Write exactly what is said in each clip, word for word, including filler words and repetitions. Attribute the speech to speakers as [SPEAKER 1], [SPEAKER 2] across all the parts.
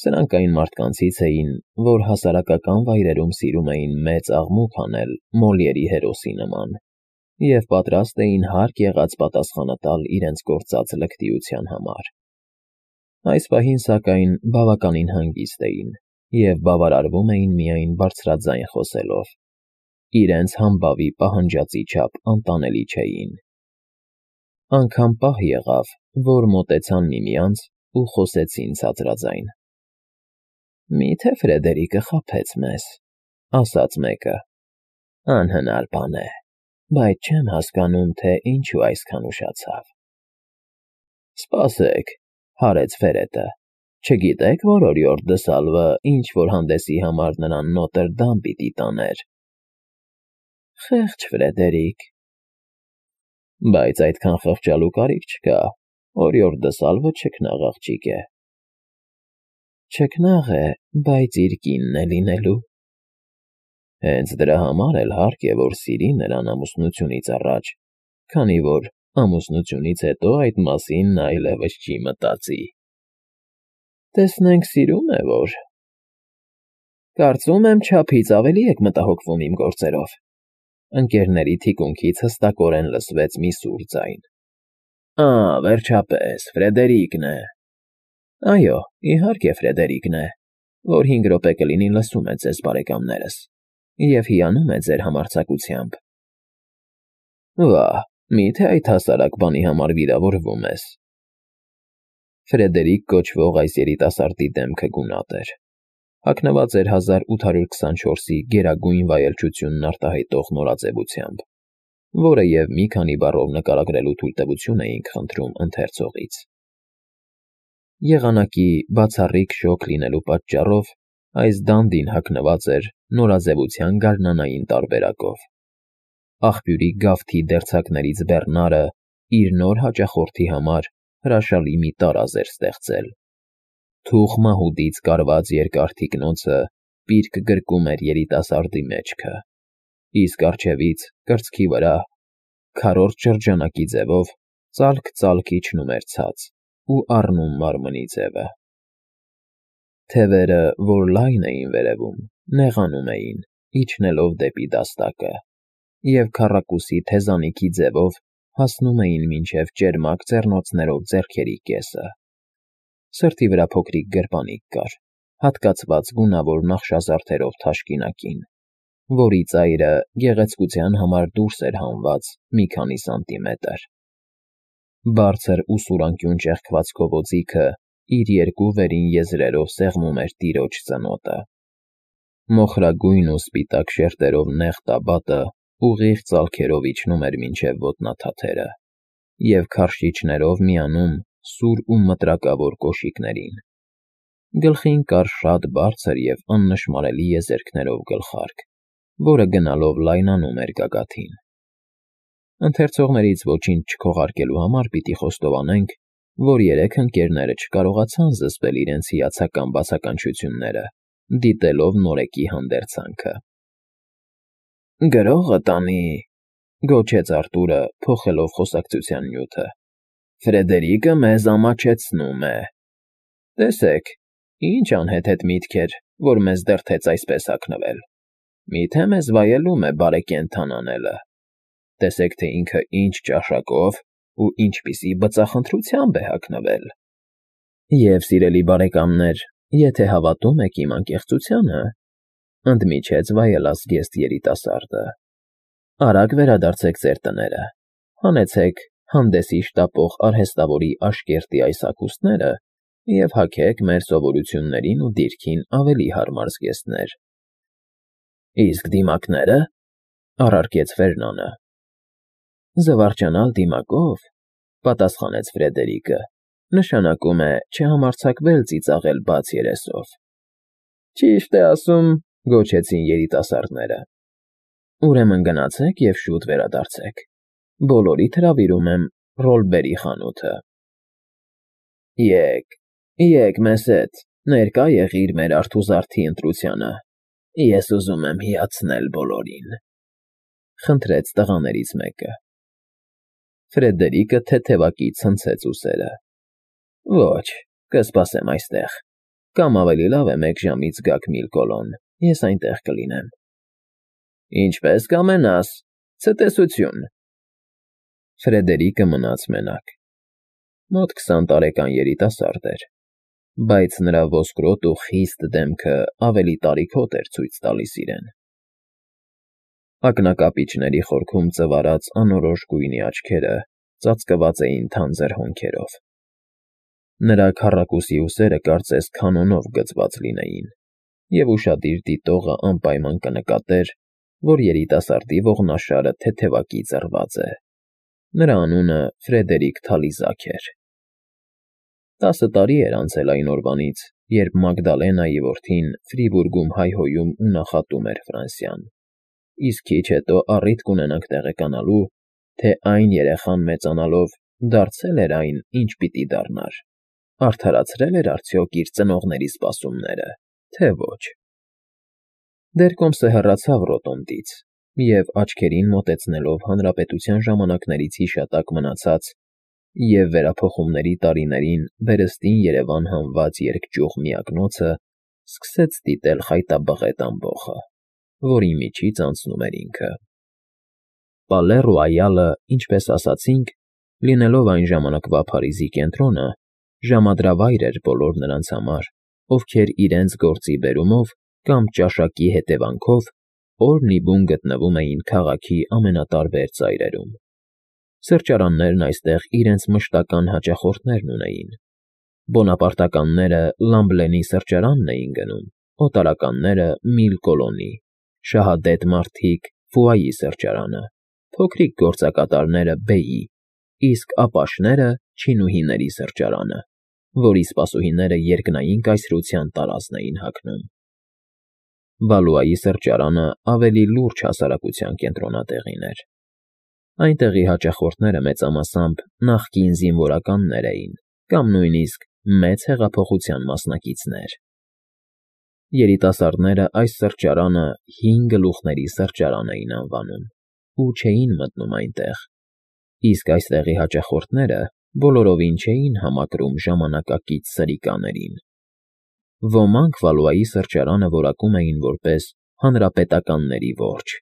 [SPEAKER 1] Սրանք այն մարդկանցից էին, որ հասարակական վայրերում սիրում էին մեծ աղմուկ անել Մոլիերի հերոսի նման և պատրաստ էին հարկ եղած պատասխանը տալ իրենց գործած լկտիության համար։ Այս պահին, սակայն, բավականին հանգիստ էին և բավարարվում էին միայն բարձրաձայն խոսելով, իրենց համբավի պահանջածի չափ անտանելի չէին։ Անգամ պահ եղավ, որ մոտեցան միմյանց ու խոսեցին ցածրաձայն. «Մի՞թե Ֆրեդերիկը խաբեց մեզ,֊ ասաց մեկը։ Անհնար բան է, բայց չեմ հասկանում, թե ինչու այսքան ուշացավ»։ «Սպասեք,֊ հարեց Ֆերետը,֊ չգիտե՞ք, որ օրիորդ Դսալվը ինչ֊որ հանդեսի համար նրան Նոտրդամ պիտի տաներ»։ «Խեղճ Ֆրեդերիկ»։ «Բայց այդքան խղճալու կարիք չկա, օրիորդ Դսալվը չքնաղ աղջիկ է»։ «Չքնաղ է, բայց իր կինն է լինելու»։ «Հենց դրա համար էլ հարկ է, որ սիրի նրան ամուսնությունից առաջ, քանի որ ամուսնությունից հետո այդ մասին նա այլևս չի մտածի»։ «Տեսնենք սիրո՞ւմ է որ»։ «Կարծում եմ, չափից ավելի եք մտահոգվում իմ գործերով»։ Ընկերների թիկունքից հստակորեն լսվեց մի սուր ձայն։ «Ա՜, վերջապես, Ֆրեդերիկն է»։ «Այո, իհարկե Ֆրեդերիկն է, որ հինգ րոպե կլինի լսում է ձեզ, բարեկամներս, և հիանում է ձեր համարձակությամբ»։ «Վա՜, մի՞թե այդ հասարակ բանի համար վիրավորվում ես»։ Ֆրեդերիկ կոչվող այս երիտասարդի դեմքը գունատ էր, հագնված էր հազար ութ հարյուր քսանչորսի գերագույն վայելչությունն արտահայտող նորաձևությամբ, որը և մի քանի բառով նկարագրելու թույլտվություն էինք խնդրում ընթերցողից։ Եղանակի բացառիկ շոգ լինելու պատճառով այս դանդին հագնված էր նորաձևության գարնանային տարբերակով։ Աղբյուրի գավթի դերձակներից բեռնարը իր նոր հաճախորդի համար հրաշալի մի տարազ էր ստեղծել։ Թուխ մահուդից կարված երկար թիկնոցը պիրկ գրկում էր երիտասարդի մեջքը, իսկ առջևից, կրծքի վրա, քառորդ շրջանակի ձևով ծալք֊ծալք իջնում էր ցած ու առնում մարմնի ձևը։ Թևերը, որ լայն էին վերևում, նեղանում էին, իջնելով դեպի դաստակը, և քառակուսի թեզանիքի ձևով հասնում էին մինչև ճերմակ ձեռնոցներով ձեռքերի կեսը։ Սրտի վրա փոքրիկ գրպանիկ կար, հատկացված գունավոր նախշազարդերով թաշկինակին, որի ծայրը գեղեցկության համար դուրս էր հանված մի քանի սանտիմետր։ Բարձր ուսուրանկյուն ճեղքվածքով օձիքը իր երկու վերին եզրերով սեղմում էր տիրոջ ծնոտը։ Մոխրագույն ու սպիտակ շերտերով նեղ տաբատը ուղիղ ծալքերով իջնում էր մինչև ոտնաթաթերը և քարշիչներով միանում սուր ու մտրակավոր կոշիկներին։ Գլխին կար շատ բարձր և աննշմարելի եզերքներով գլխարկ, որը գնալով լայնանում էր գագաթին։ Ընթերցողներից ոչինչ չքողարկելու համար պիտի խոստովանենք, որ երեք ընկերները չկարողացան զսպել իրենց հիացական բացականչությունները, դիտելով նորեկի հանդերձանքը։ «Գրողը տանի,֊ գոչեց Արտուրը, փոխելով խոսակցության նյութը,֊ Ֆրեդերիկը մեզ ամաչեցնում է։ Տեսեք, ինչ անհեթեթ միտք էր, որ մեզ դրդեց այսպես հագնվել։ Միթե մեզ վայելում է բարեկենդան անելը։ Տեսեք, թե ինքը ինչ ճաշակով ու ինչպիսի բծախնդրությամբ է հագնվել։ Եվ, սիրելի բարեկամներ, եթե հավատում եք իմ անկեղծությանը,֊ ընդմիջեց վայելազգեստ երիտասարդը,֊ արագ վերադարձեք ձեր տները, հանեցեք հանդեսի շտապող արհեստավորի Աշկերտի այս հագուստները և հագեք մեր սովորություններին ու դիրքին ավելի հարմար զգեստներ։ «Իսկ դիմակները,֊ առարկեց Ֆերնանը։ «Զվարճանալ դիմակով,֊ պատասխանեց Ֆրեդերիկը,֊ նշանակում է չհամարձակվել ծիծաղել բաց երեսով»։ «Ճիշտ է ասում,֊ գոչեցին երիտասարդները։ Ուրեմն գնացեք և շուտ վերադարձեք։ Բոլորիդ հրավիրում եմ Ռոլբերի խանութը։ Եկ, եկ մեզ հետ, ներկա եղիր մեր արթուզարդի ընտրությանը, ես ուզում եմ հիացնել բոլորին,֊ խնդրեց տղաներից մեկը։ Ֆրեդերիկը թեթևակի ցնցեց ուսերը։ «Ոչ, կսպասեմ այստեղ, Կամ ավելի լավ է մեկ ժամից գաք Միլկոլոն, ես այնտեղ կլինեմ։ Ինչպես կամենաս, ցտեսություն։ Ֆրեդերիկը մնաց մենակ։ Մոտ քսան տարեկան երիտասարդ էր, բայց նրա ոսկրոտ ու խիստ դեմքը ավելի տարիքոտ էր ցույց տալիս իրեն։ Ակնակապիճների խորքում ծվարած անորոշ գույնի աչքերը ծածկված էին թանձր հոնքերով։ Նրա քառակուսի ուսերը կարծես քանոնով գծված լինեին, և ուշադիր դիտողը անպայման կնկատեր, որ երիտասարդի ողնաշարը թեթևակի ծռված է։ Նրա անունը Ֆրեդերիկ Թալիզակ էր։ Տասը տարի էր անցել այն օրվանից, երբ Մագդալենայի որդին Ֆրիբուրգում հայհոյում ու նախատում էր Ֆրանսիան, իսկ քիչ հետո առիթ կունենանք տեղեկանալու, թե այն երեխան մեծանալով դարձել էր այն, ինչ պիտի դառնար, արդարացրել էր արդյոք իր ծնողների սպասումները, թե ոչ։ Դերկոմսը հեռացավ Ռոտոնդից և, աչքերին մոտեցնելով հանրապետության ժամանակներից հիշատակ մնացած և վերափոխումների տարիներին վերստին Երևան հանված երկճյուղ միակնոցը, սկսեց դիտել խայտաբղետ ամբոխը, որի միջից անցնում էր ինքը։ Պալե Ռոայալը, ինչպես ասացինք, լինելով այն ժամանակվա Փարիզի կենտրոնը, ժամադրավայր էր բոլոր նրանց համար, ովքեր իրենց գործի բերումով կամ ճաշակի հետևանքով օրն ի բուն գտնվում էին քաղաքի ամենատարբեր ծայրերում։ Սրճարաններն այստեղ իրենց մշտական հաճախորդներն ունեին։ Բոնապարտականները Լամբլենի սրճարանն էին գնում, օտարականները՝ Միլկոլոնի, շահադետ մարդիկ՝ Ֆուայի սրճարանը, փոքրիկ գործակատարները՝ Բեյի, իսկ ապաշները՝ չինուհիների սրճարանը, որի սպասուհիները երկնային կայսրության տարազն էին հագնում։ Վալուայի սրճարանը ավելի լուրջ հասարակության կենտրոնատեղին էր։ Այնտեղի հաճախորդները մեծամասամբ նախկին զինվորականներ էին կամ նույնիսկ մեծ հեղափոխության մասնակիցներ։ Երիտասարդները այս սրճարանը հին գլուխների սրճարան էին անվանում ու չէին մտնում այնտեղ, իսկ այստեղի հաճախորդները բոլորովին չէին համակրում ժամանակակից սրիկաներին։ Ոմանք Վալուայի սրճարանը որակում էին որպես հանրապետականների որջը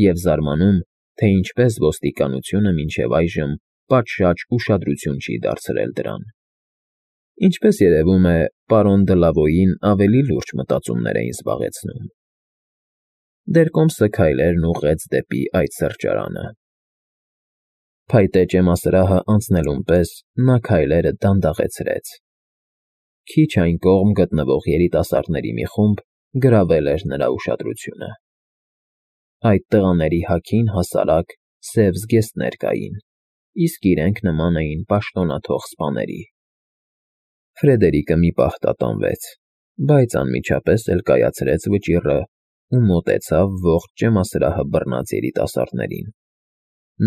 [SPEAKER 1] և զարմանում, թե ինչպես ոստիկանությունը մինչև այժմ պատշաճ ուշադրություն չի դարձրել դրան։ Ինչպես երևում է, պարոն Դլավոյին ավելի լուրջ մտածումներ էին զբաղեցնում։ Դերկոմսը քայլերն ուղղեց դեպի այդ սրճարանը։ Փայտե ճեմասրահը անցնելուն պես նա քայլերը դանդաղեցրեց։ Քիչ այն կողմ գտնվող երիտասարդների մի խումբ գրավել էր նրա ուշադրությունը։ Այդ տղաների հագին հասարակ սև զգեստներ կային, իսկ իրենք նման էին պաշտոնաթող սպաների։ Ֆրեդերիկը մի պահ տատանվեց, բայց անմիջապես էլ կայացրեց վճիռը ու մոտեցավ ողջ ճեմասրահը բռնած երիտասարդներին։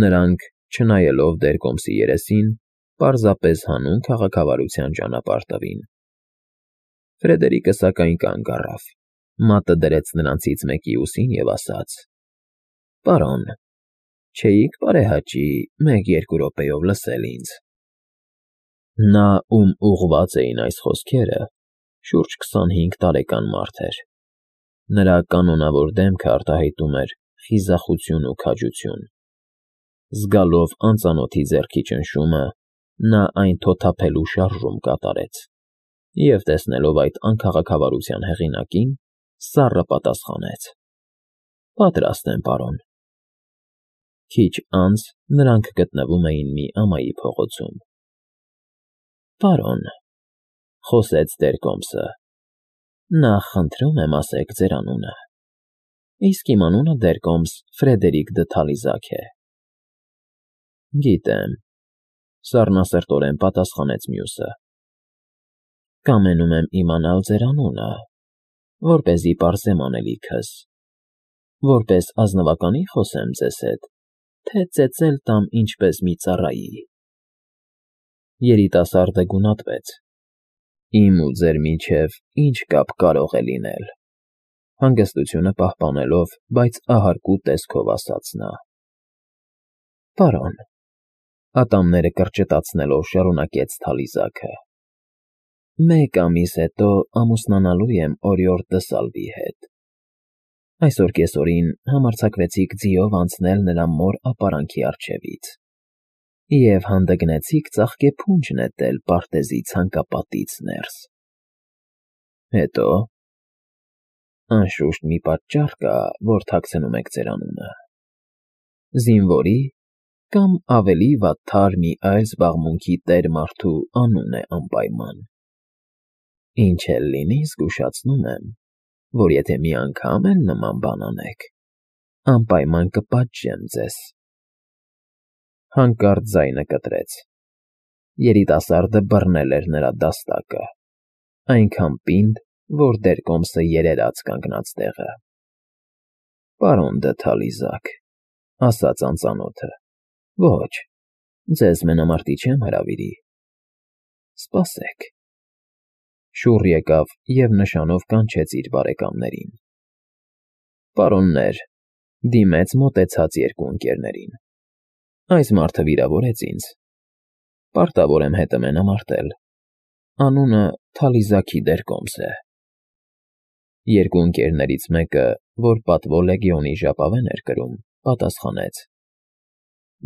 [SPEAKER 1] Նրանք, չնայելով Դերկոմսի երեսին, պարզապես հանուն քաղաքավարության ճանապարհ տվին։ Ֆրեդերիկը սակայն կանգ առավ, մատը դրեց նրանցից մեկի ուսին և ասաց. «Պարոն, չէի՞ք բարեհաճի մեկ֊երկու րոպեով լսել ինձ»։ Նա, ում ուղղված էին այս խոսքերը, շուրջ քսանհինգ տարեկան մարդ էր։ Նրա կանոնավոր դեմքը արտահայտում էր խիզախություն ու քաջություն։ Զգալով անծանոթի ձեռքի ճնշումը, նա այն թոթափելու շարժում կատարեց և, տեսնելով այդ անքաղաքավարության հեղինակին, սառը պատասխանեց. «Պատրաստ եմ, պարոն»։ Քիչ անց նրանք գտնվում էին մի ամայի փողոցում։ «Պարոն», խոսեց Դերկոմսը, «նախ խնդրում եմ ասեք ձեր անունը»։ Իսկ իմ անունը Դերկոմս Ֆրեդերիկ դը Թալիզակ է։ Գիտեմ, սառնասրտորեն պատասխանեց մյուսը։ Կամենում եմ իմանալ ձեր անունը, որպեսզի պարզեմ անելիքս, որպես ազնվականի խոսեմ ձեզ հետ, թե ծեծել տամ ինչպես մի ծառայի։ Երիտասարդը գունատվեց։ Իմ ու ձեր միջև ինչ կապ կարող է լինել, հանգստությունը պահպանելով, բայց ահարկու տեսքով ասաց նա։ Պարոն, ատամները կրճտացնելով շարունակեց Թալիզակը, մեկ ամիս հետո ամուսնանալու եմ օրիորդ դսալվի հետ։ Այսօր կեսօրին համարձակվեցիք ձիով անցնել նրա մոր ապարանքի առջևից և հանդգնեցիք ծաղկե փունջ նետել պարտեզի ցանկապատից ներս։ Հետո… Անշուշտ մի պատճառ կա, որ թաքցնում եք ձեր անունը. զինվորի կամ ավելի վատթար մի այլ զբաղմունքի տեր մարդու անուն է անպայման։ Ինչ էլ լինի, զգուշացնում եմ, որ եթե մի անգամ էլ նման բան անեք, անպայման կպատժեմ ձեզ… Հանկարծ ձայնը կտրեց. երիտասարդը բռնել էր նրա դաստակը, այնքան պինդ, որ դերկոմսը երերաց կանգնած տեղը։ Պարոն Դը-Թալիզակ, ասաց անծանոթը, ոչ, ձեզ մենամարտի չեմ հրավիրի, սպասեք… Շուռ եկավ և նշանով կանչեց իր բարեկամներին։ Պարոններ, դիմեց մոտեցած երկու ընկերներին, այս մարդը վիրավորեց ինձ, պարտավոր եմ հետը մենամարտել, անունը Թալիզաքի դերկոմս է։ Երկու ընկերներից մեկը, որ պատվո լեգիոնի ժապավեն էր կրում, պատասխանեց.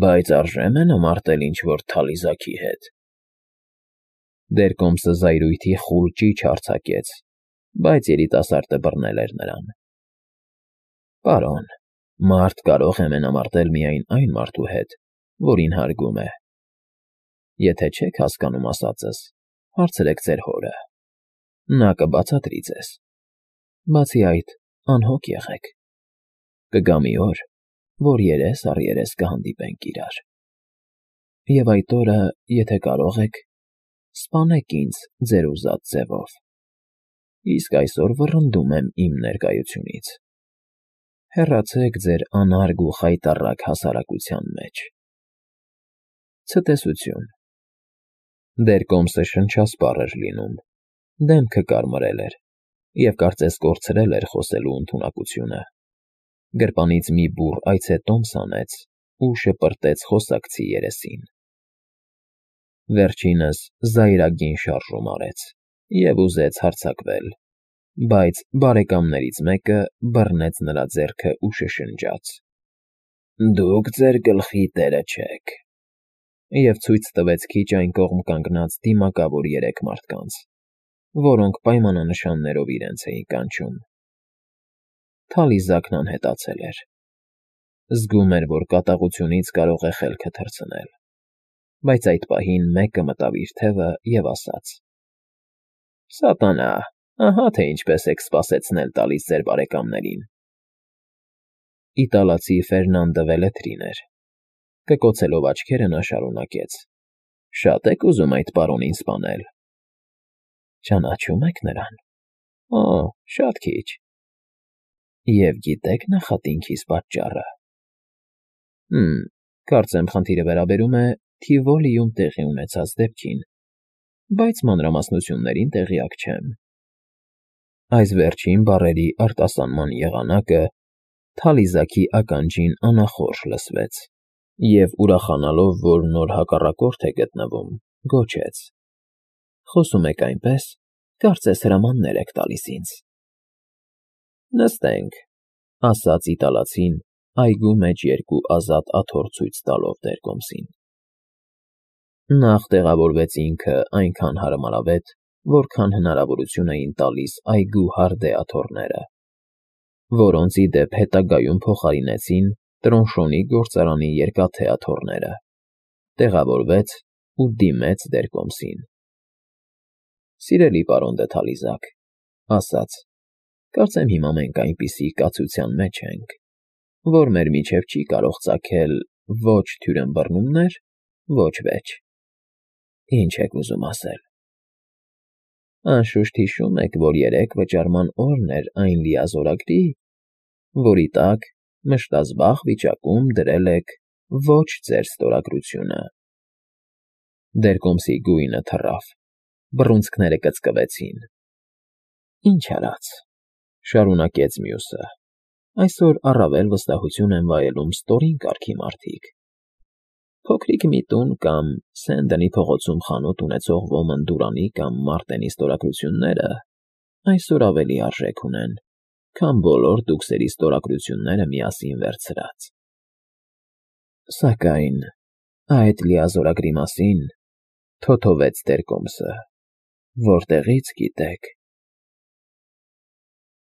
[SPEAKER 1] Բայց արժե՞ մենամարտել ինչ֊որ Թալիզաքի հետ։ Դերկոմսը զայրույթի խուլ ճիչ արձակեց, բայց երիտասարդը բռնել էր նրան։ Պարոն, մարդ կարող է մենամարտել միայն այն մարդու հետ, որին հարգում է։ Եթե չեք հասկանում ասածս, հարցրեք ձեր հորը, նա կբացատրի ձեզ։ Բացի այդ, անհոգ եղեք, կգա մի օր, որ երես առ երես կհանդիպենք իրար։ Եվ այդ օրը, եթե կարող եք, սպանեք ինձ ձեր ուզած ձևով, իսկ այսօր վռնդում եմ իմ ներկայությունից։ Հեռացեք ձեր անարգ ու խայտառակ հասարակության մեջ։ Ցտեսություն… Դերկոմսը շնչասպառ էր լինում, դեմքը կարմրել էր և կարծես կորցրել էր խոսելու ընդունակությունը։ Գրպանից մի բուռ այցե տոմս հանեց ու շպրտեց խոսակցի երեսին։ Վերջինս զայրագին շարժում արեց և ուզեց հարձակվել, բայց բարեկամներից մեկը բռնեց նրա ձեռքը ու շշնջաց. Դուք ձեր գլխի տերը չեք… և ցույց տվեց քիչ այն կողմ կանգնած դիմակավոր երեք մարդկանց, որոնք պայմանանշաններով իրենց էին կանչում։ Թալիզակն անհետացել էր… Զգում էր, որ կատաղությունից կարող է խելքը թռցնել, բայց այդ պահին մեկը մտավ իր թևը և ասաց. Սատանա, ահա թե ինչպես եք սպասեցնել տալիս ձեր բարեկամներին… Իտալացի Ֆերնանդը Վելետրին էր… Կկոցելով աչքերը նա շարունակեց. Շա՞տ եք ուզում այդ պարոնին սպանել… Ճանաչո՞ւմ եք նրան… Օ, շատ քիչ… Եվ գիտե՞ք նախատինքիս պատճառը… Հըմ, կարծեմ խնդիրը վերաբերում է Թիվոլիում տեղի ունեցած դեպքին, բայց մանրամասնություններին տեղյակ չեմ… Այս վերջին բառերի արտասանման եղանակը Թալիզաքի ականջին անախորժ լսվեց, և ուրախանալով, որ նոր հակառակորդ է գտնվում, գոչեց. Խոսում եք այնպես, կարծես հրամաններ եք տալիս ինձ… Նստենք, ասաց իտալացին, այգու մեջ երկու ազատ աթոռ ցույց տալով դերկոմսին։ Նախ տեղավորվեց ինքը այնքան հարմարավետ, որքան հնարավորություն էին տալիս այգու հարդե աթոռները, որոնց ի դեպ հետագայում փոխարինեցին Տրոնշոնի գործարանի երկաթե աթոռները, տեղավորվեց ու դիմեց դերկոմսին։ Սիրելի պարոն Դը-Թալիզակ, ասաց. Կարծեմ հիմա մենք այնպիսի կացության մեջ ենք, որ մեր միջև չի կարող ծագել ոչ թյուրըմբռնումներ, ոչ վեճ… Ինչ եք ուզում ասել… Անշուշտ հիշում եք, որ երեկ վճարման օրն էր այն լիազորագրի, որի տակ մշտազբաղ վիճակում դրել եք ոչ ձեր ստորագրությունը… Դերկոմսի գույնը թռավ, բռունցքները կծկվեցին։ Ինչ արած, շարունակեց մյուսը, այսօր առավել վստահություն են վայելում ստորին կարգի մարդիկ… Փոքրիկ մի տուն կամ Սենդոնի փողոցում խանութ ունեցող ոմն Դուրանի կամ Մարտենի ստորագրությունները այսօր ավելի արժեք ունեն, քան բոլոր տուքսերի ստորագրությունները միասին վերցրած… Սակայն այդ լիազորագրի մասին թոթովեց տերկոմսը, որտեղի՞ց գիտեք։